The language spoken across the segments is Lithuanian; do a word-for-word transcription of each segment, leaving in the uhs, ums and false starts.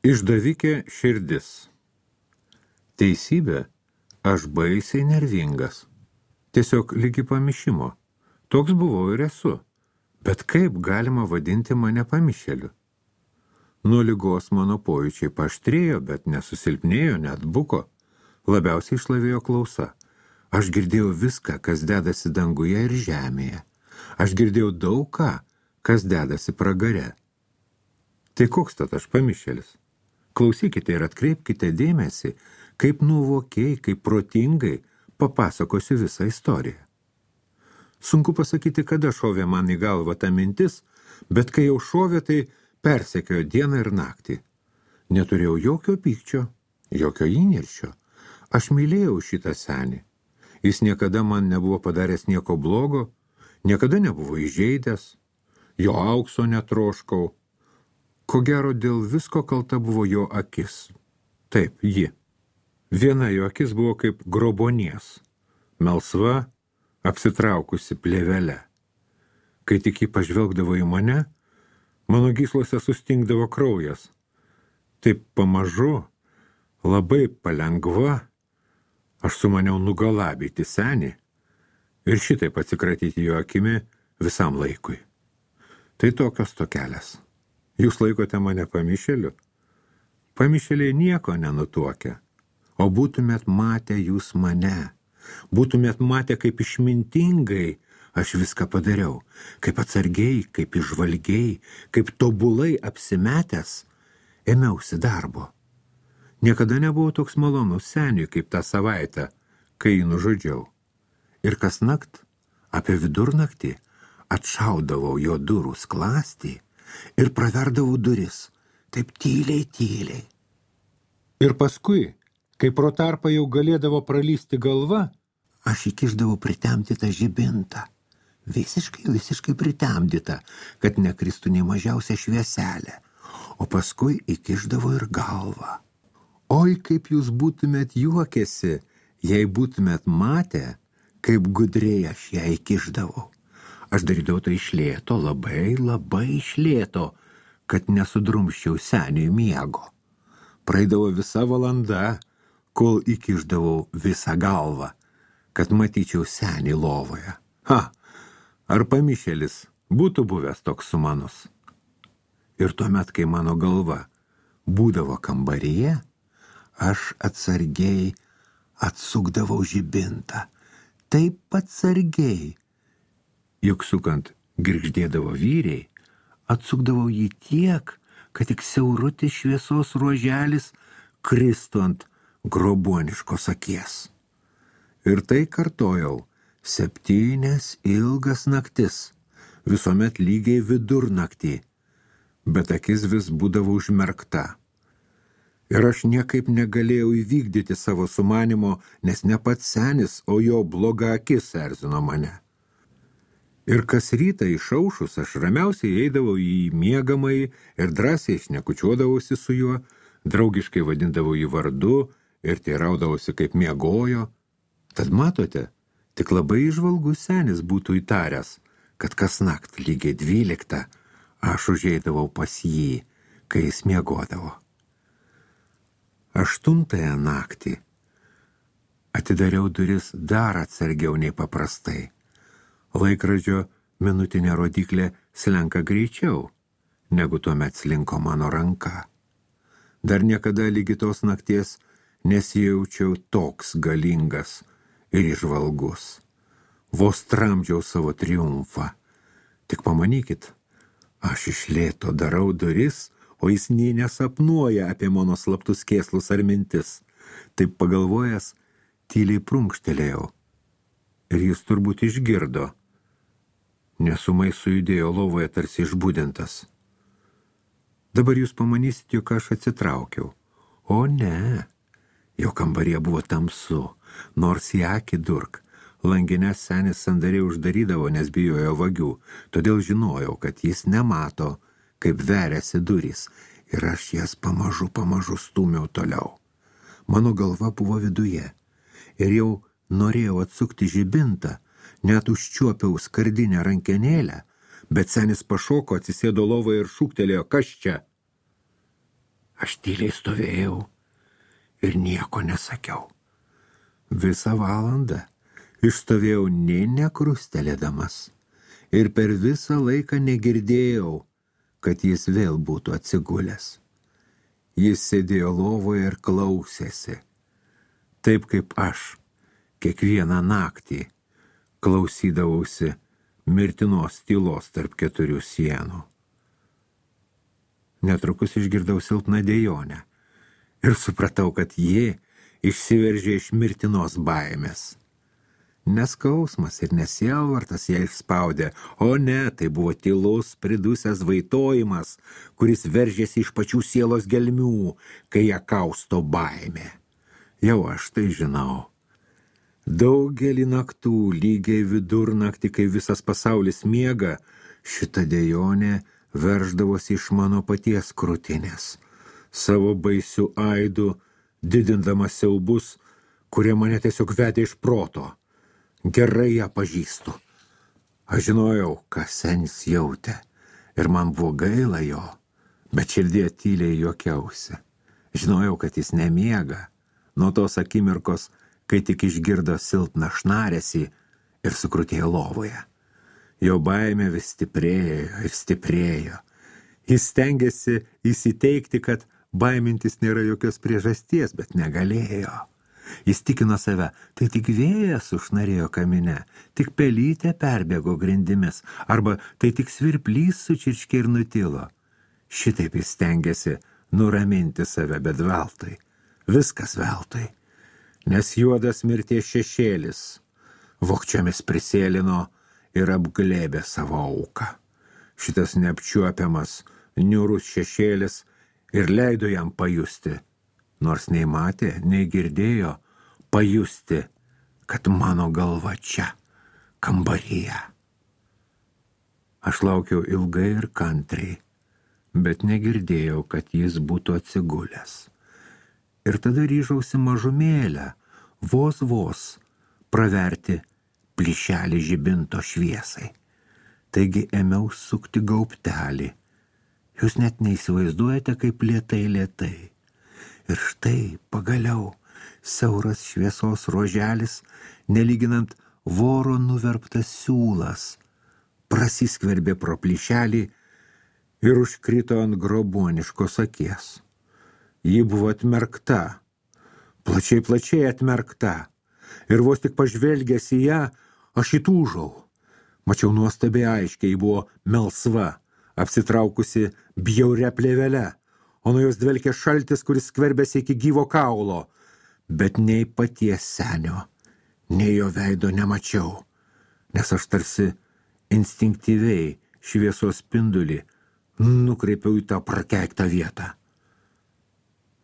Išdavikė širdis. Teisybė, aš baisiai nervingas. Tiesiog lygi pamišimo. Toks buvau ir esu. Bet kaip galima vadinti mane pamišėliu? Nuo ligos mano pojūčiai paaštrėjo, bet nesusilpnėjo, net buko. Labiausiai išlavėjo klausa. Aš girdėjau viską, kas dedasi danguje ir žemėje. Aš girdėjau daug ką, kas dedasi pragare. Tai koks tad aš pamišėlis? Klausykite ir atkreipkite dėmesį, kaip nuvokiai, kaip protingai papasakosiu visą istoriją. Sunku pasakyti, kada šovė man į galvą ta mintis, bet kai jau šovė, tai persekiojo dieną ir naktį. Neturėjau jokio pykčio, jokio įniršio. Aš mylėjau šitą senį. Jis niekada man nebuvo padaręs nieko blogo, niekada nebuvo įžeidęs, jo aukso netroškau. Ko gero dėl visko kalta buvo jo akis. Taip, ji. Viena jo akis buvo kaip grobonies, melsva, apsitraukusi plėvelę. Kai tik ji pažvelgdavo į mane, mano gyslose sustingdavo kraujas. Taip pamažu, labai palengva, aš sumaniau nugalabyti senį ir šitaip atsikratyti jo akimi visam laikui. Tai tokios tokelės. Jūs laikote mane pamišėliu? Pamišėliai nieko nenutuokia. O būtumėt matę jūs mane. Būtumėt matę, kaip išmintingai aš viską padariau. Kaip atsargiai, kaip išvalgiai, kaip tobulai apsimetęs ėmiausi darbo. Niekada nebuvau toks malonus seniui, kaip tą savaitę, kai jį nužudžiau. Ir kasnakt, apie vidurnaktį, atšaudavau jo durų sklastį ir praverdavau duris, taip tyliai, tyliai. Ir paskui, kai pro tarpą jau galėdavo pralysti galva, aš įkišdavau pritemdytą žibintą. Visiškai, visiškai pritemdytą, kad nekristų nei mažiausia švieselė. O paskui įkišdavau ir galvą. Oi, kaip jūs būtumėt juokėsi, jei būtumėt matę, kaip gudriai aš ją įkišdavau. Aš darydavau tai iš lėto, labai, labai iš lėto, kad nesudrumščiau seniui miego. Praeidavo visa valanda, kol įkišdavau visą galvą, kad matyčiau senį lovoje. Ha, ar pamišėlis būtų buvęs toks sumanus? Ir tuomet, kai mano galva būdavo kambaryje, aš atsargiai atsukdavau žibintą. Taip atsargiai. Juk sukant girgždėdavo vyriai, atsukdavau jį tiek, kad tik siaurutis šviesos ruoželis kristų ant groboniškos akies. Ir tai kartojau septynias ilgas naktis, visuomet lygiai vidurnaktį, bet akis vis būdavo užmerkta. Ir aš niekaip negalėjau įvykdyti savo sumanimo, nes ne pats senis, o jo bloga akis erzino mane. Ir kas rytą išaušus aš ramiausiai eidavau į miegamąjį ir drąsiai šnekučiuodavausi su juo, draugiškai vadindavau jį vardu ir teiraudavausi, kaip miegojo. Tad matote, tik labai įžvalgus senis būtų įtaręs, kad kasnakt lygiai dvyliktą aš užeidavau pas jį, kai jis miegodavo. Aštuntąją naktį atidariau duris dar atsargiau nei paprastai. Laikrodžio minutinė rodiklė slenka greičiau, negu tuomet slinko mano ranka. Dar niekada lygi tos nakties nesijaučiau toks galingas ir įžvalgus. Vos tramdžiau savo triumfą. Tik pamanykit, aš iš lėto darau duris, o jis nė nesapnuoja apie mano slaptus kėslus ar mintis. Taip pagalvojęs, tyliai prunkštelėjau. Ir jis turbūt išgirdo, nes ūmai sujudėjo lovoje tarsi išbudintas. Dabar jūs pamanysit, jog aš atsitraukiau. O ne, jo kambaryje buvo tamsu, nors į akį durk. Langines senis sandariai uždarydavo, nes bijojo vagių, todėl žinojau, kad jis nemato, kaip veriasi durys, ir aš jas pamažu, pamažu stūmiau toliau. Mano galva buvo viduje, ir jau norėjau atsukti žibintą, net užčiuopiau skardinę rankenėlę, bet senis pašoko, atsisėdo lovoje ir šūktelėjo, kas čia? Aš tyliai stovėjau ir nieko nesakiau. Visą valandą išstovėjau nė nekrustelėdamas ir per visą laiką negirdėjau, kad jis vėl būtų atsigulęs. Jis sėdėjo lovoje ir klausėsi, taip kaip aš kiekvieną naktį klausydavausi mirtinos tylos tarp keturių sienų. Netrukus išgirdau silpną dejonę ir supratau, kad ji išsiveržė iš mirtinos baimės. Neskausmas ir nesielvartas ją išspaudė, o ne, tai buvo tylus, pridusęs vaitojimas, kuris veržėsi iš pačių sielos gelmių, kai ją kausto baimė. Jau aš tai žinau. Daugelį naktų, lygiai vidurnaktį, kai visas pasaulis miega, šita dejonė verždavosi iš mano paties krūtinės, savo baisių aidų, didindamas siaubus, kurie mane tiesiog vedė iš proto. Gerai ją pažįstu. Aš žinojau, ką senis jautė, ir man buvo gaila jo, bet širdie tyliai juokiausi. Žinojau, kad jis nemiega, nuo tos akimirkos, kai tik išgirdo silpną šnaresį ir sukrutėjo lovoje. Jo baimė vis stiprėjo ir stiprėjo. Jis stengėsi įsiteikti, kad baimintis nėra jokios priežasties, bet negalėjo. Jis tikino save, tai tik vėjas užnarėjo kamine, tik pelytė perbėgo grindimis, arba tai tik svirplys sučirškė ir nutilo. Šitaip jis stengėsi nuraminti save, bet veltui. Viskas veltui. Nes juodas mirties šešėlis vogčiomis prisėlino ir apglėbė savo auką. Šitas neapčiuopiamas, niūrus šešėlis ir leido jam pajusti, nors nei matė, nei girdėjo, pajusti, kad mano galva čia, kambaryje. Aš laukiau ilgai ir kantriai, bet negirdėjau, kad jis būtų atsigulęs. Ir tada ryžausi mažumėlę, vos vos, praverti plyšelį žibinto šviesai. Taigi ėmiau sukti gaubtelį. Jūs net neįsivaizduojate, kaip lėtai lėtai. Ir štai pagaliau siauras šviesos ruoželis, nelyginant voro nuverptas siūlas, prasiskverbė pro plyšelį ir užkrito ant grobuoniškos akies. Ji buvo atmerkta, plačiai plačiai atmerkta, ir vos tik pažvelgęs į ją, aš įtūžau. Mačiau nuostabiai aiškiai, ji buvo melsva, apsitraukusi bjauria plėvele, o nuo jos dvelkė šaltis, kuris skverbėsi iki gyvo kaulo, bet nei paties senio, nei jo veido nemačiau, nes aš tarsi instinktyviai šviesos spindulį nukreipiau į tą prakeiktą vietą.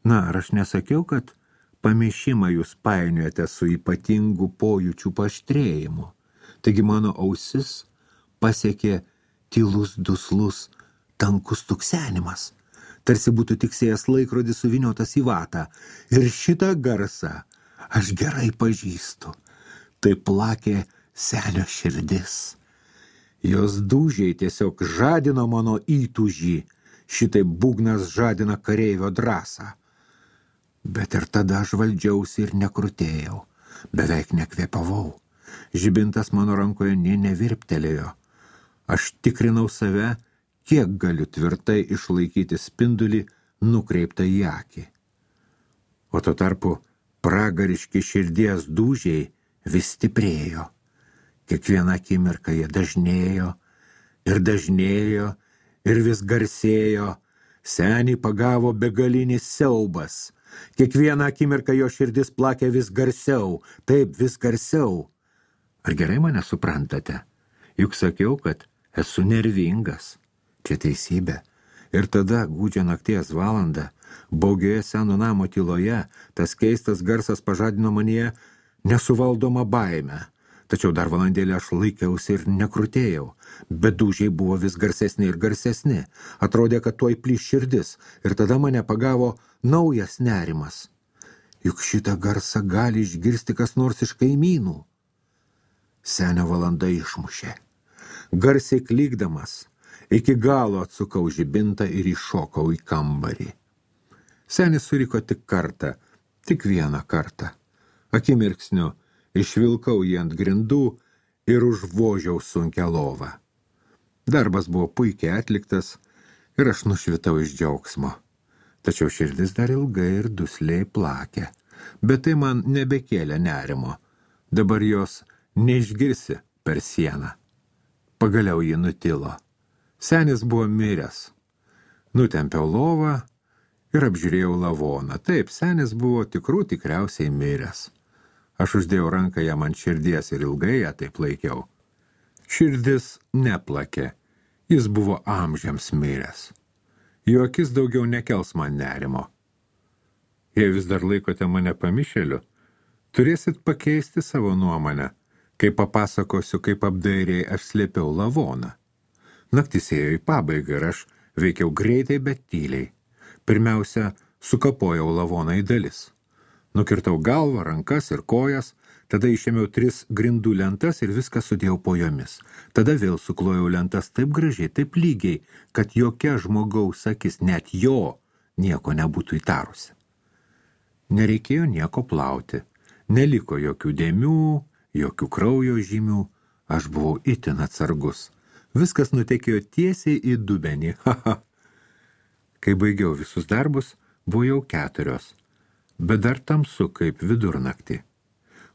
Na, ar aš nesakiau, kad pamišimą jūs painiojate su ypatingu pojūčių paaštrėjimu? Taigi mano ausis pasiekė tylus, duslus, tankus tuksenimas, tarsi būtų tiksėjęs laikrodis suviniotas į vatą. Ir šitą garsą aš gerai pažįstu. Tai plakė senio širdis. Jos dūžiai tiesiog žadino mano įtūžį, šitai būgnas žadina kareivio drąsą. Bet ir tada aš valdžiausi ir nekrutėjau, beveik nekvėpavau. Žibintas mano rankoje nė nevirptelėjo. Aš tikrinau save, kiek galiu tvirtai išlaikyti spindulį nukreiptą į akį. O tuo tarpu pragariški širdies dūžiai vis stiprėjo. Kiekvieną akimirką jie dažnėjo ir dažnėjo ir vis garsėjo. Senį pagavo begalinis siaubas. Kiekvieną akimirką jo širdis plakė vis garsiau, taip vis garsiau. Ar gerai mane suprantate? Juk sakiau, kad esu nervingas. Čia teisybė. Ir tada, gūdžią nakties valandą, baugioje seno namo tyloje, tas keistas garsas pažadino manyje nesuvaldomą baimę. Tačiau dar valandėlį aš laikiausi ir nekrutėjau, bet dūžiai buvo vis garsesni ir garsesni. Atrodė, kad tuoj plyš širdis, ir tada mane pagavo naujas nerimas. Juk šitą garsą gali išgirsti kas nors iš kaimynų. Senio valanda išmušė. Garsiai klykdamas, iki galo atsukau žibintą ir iššokau į kambarį. Senis suriko tik kartą, tik vieną kartą. Akimirksniu išvilkau jį ant grindų ir užvožiau sunkią lovą. Darbas buvo puikiai atliktas ir aš nušvitau iš džiaugsmo. Tačiau širdis dar ilgai ir dusliai plakė, bet tai man nebekėlė nerimo. Dabar jos neišgirsi per sieną. Pagaliau ji nutilo. Senis buvo miręs. Nutempiau lovą ir apžiūrėjau lavoną. Taip, senis buvo tikrų tikriausiai miręs. Aš uždėjau ranką jam ant širdies ir ilgai ją taip laikiau. Širdis neplakė. Jis buvo amžiams miręs. Jo akis daugiau nekels man nerimo. Jei vis dar laikote mane pamišėliu, turėsit pakeisti savo nuomonę, kai papasakosiu, kaip apdairiai aš slėpiau lavoną. Naktis ėjo į pabaigą ir aš veikiau greitai, bet tyliai. Pirmiausia, sukapojau lavoną į dalis. Nukirtau galvą, rankas ir kojas, tada išėmiau tris grindų lentas ir viską sudėjau po jomis. Tada vėl suklojau lentas taip gražiai, taip lygiai, kad jokia žmogaus akis, net jo, nieko nebūtų įtarusi. Nereikėjo nieko plauti, neliko jokių dėmių, jokių kraujo žymių, aš buvau itin atsargus. Viskas nutekėjo tiesiai į dubenį, haha. Kai baigiau visus darbus, buvo jau keturios, bet dar tamsu kaip vidurnaktį.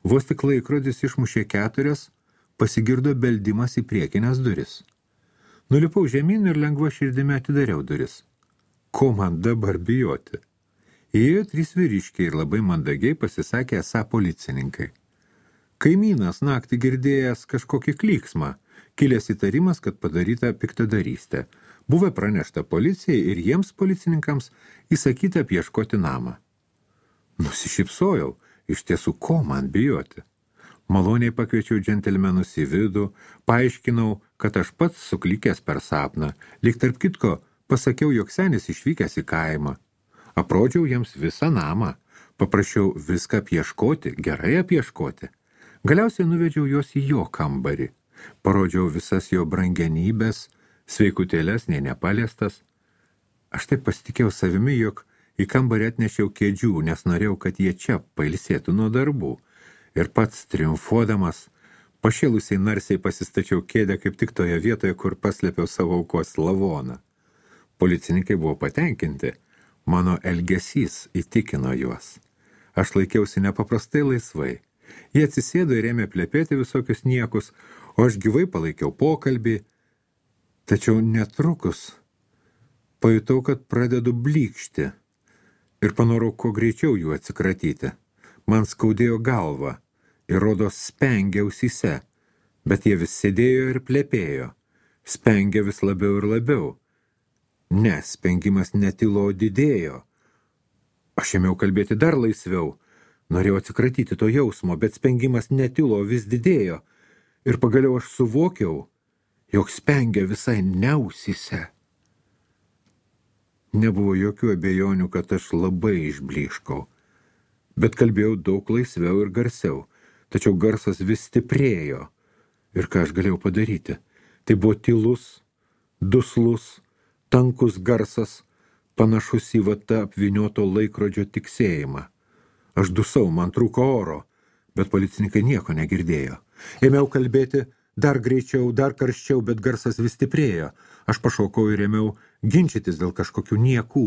Vos tik laikrodis išmušė keturias, pasigirdo beldimas į priekinės duris. Nulipau žemyn ir lengva širdimi atidariau duris. Ko man dabar bijoti? Įėjo trys vyriškiai ir labai mandagiai pasisakė esą policininkai. Kaimynas naktį girdėjęs kažkokį klyksmą, kilęs įtarimas, kad padaryta piktadarystė. Buvo pranešta policijai ir jiems policininkams įsakyta apieškoti namą. Nusišypsojau. Iš tiesų, ko man bijoti? Maloniai pakviečiau džentelmenus į vidų, paaiškinau, kad aš pats suklikęs per sapną, lyg tarp kitko pasakiau, jog senis išvykęs į kaimą. Aprodžiau jiems visą namą, paprašiau viską apieškoti, gerai apieškoti. Galiausiai nuvedžiau juos į jo kambarį, parodžiau visas jo brangenybės, sveikutėlės, nei nepaliestas. Aš taip pasitikėjau savimi, jog į kambarį atnešiau kėdžių, nes norėjau, kad jie čia pailsėtų nuo darbų. Ir pats triumfuodamas, pašėlusiai narsiai pasistačiau kėdę kaip tik toje vietoje, kur paslėpiau savo aukos lavoną. Policininkai buvo patenkinti. Mano elgesys įtikino juos. Aš laikiausi nepaprastai laisvai. Jie atsisėdo ir ėmė plepėti visokius niekus, o aš gyvai palaikiau pokalbį. Tačiau netrukus pajutau, kad pradedu blykšti. Ir panorau kuo greičiau jų atsikratyti. Man skaudėjo galva ir rodos spengė ausyse, bet jie vis sėdėjo ir plepėjo. Spengė vis labiau ir labiau. Ne, spengimas netilo, didėjo. Aš ėmiau kalbėti dar laisviau. Norėjau atsikratyti to jausmo, bet spengimas netilo, vis didėjo. Ir pagaliau aš suvokiau, jog spengia visai ne ausyse. Nebuvo jokių abejonių, kad aš labai išblyškau, bet kalbėjau daug laisviau ir garsiau, tačiau garsas vis stiprėjo. Ir ką aš galėjau padaryti? Tai buvo tylus, duslus, tankus garsas, panašus į vata apvynioto laikrodžio tiksėjimą. Aš dusau, man trūko oro, bet policininkai nieko negirdėjo. Ėmiau kalbėti dar greičiau, dar karščiau, bet garsas vis stiprėjo. Aš pašaukau ir ėmiau ginčytis dėl kažkokių niekų,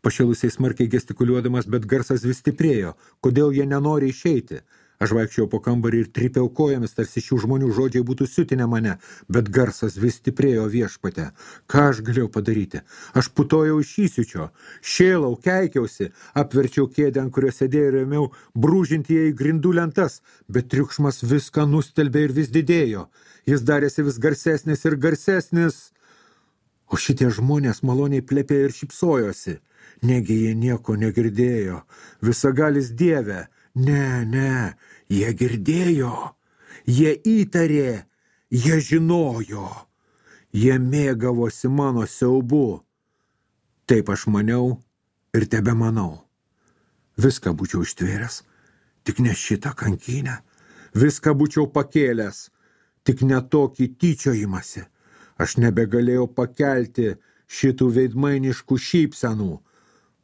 pašėlusiai smarkiai gestikuliuodamas, bet garsas vis stiprėjo. Kodėl jie nenori išeiti? Aš vaikščiau po kambarį ir trypiau kojomis, tarsi šių žmonių žodžiai būtų siutinę mane, bet garsas vis stiprėjo viešpate. Ką aš galėjau padaryti? Aš putojau iš įsiučio, šėlau, keikiausi, apverčiau kėdę, ant kurio sėdėjau ir ėmiau brūžinti ją į grindų lentas, bet triukšmas viską nustelbė ir vis didėjo. Jis darėsi vis garsesnis ir garsesnis. O šitie žmonės maloniai plepėjo ir šypsojosi. Negi jie nieko negirdėjo. Visagalis Dieve. Ne, ne, jie girdėjo. Jie įtarė. Jie žinojo. Jie mėgavosi mano siaubu. Taip aš maniau ir tebe manau. Viską būčiau ištvėręs, tik ne šitą kankynę. Viską būčiau pakėlęs, tik ne tokį tyčiojimąsi. Aš nebegalėjau pakelti šitų veidmainiškų šypsenų.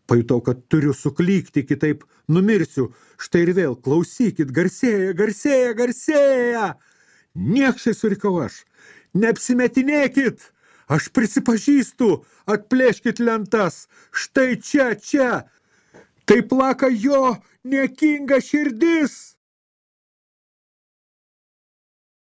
Pajutau, kad turiu suklykti, kitaip numirsiu. Štai ir vėl, klausykit, garsėja, garsėja, garsėja. Niekšai, surikau aš, neapsimetinėkit. Aš prisipažįstu, atplėškit lentas. Štai čia, čia. Tai plaka jo niekinga širdis.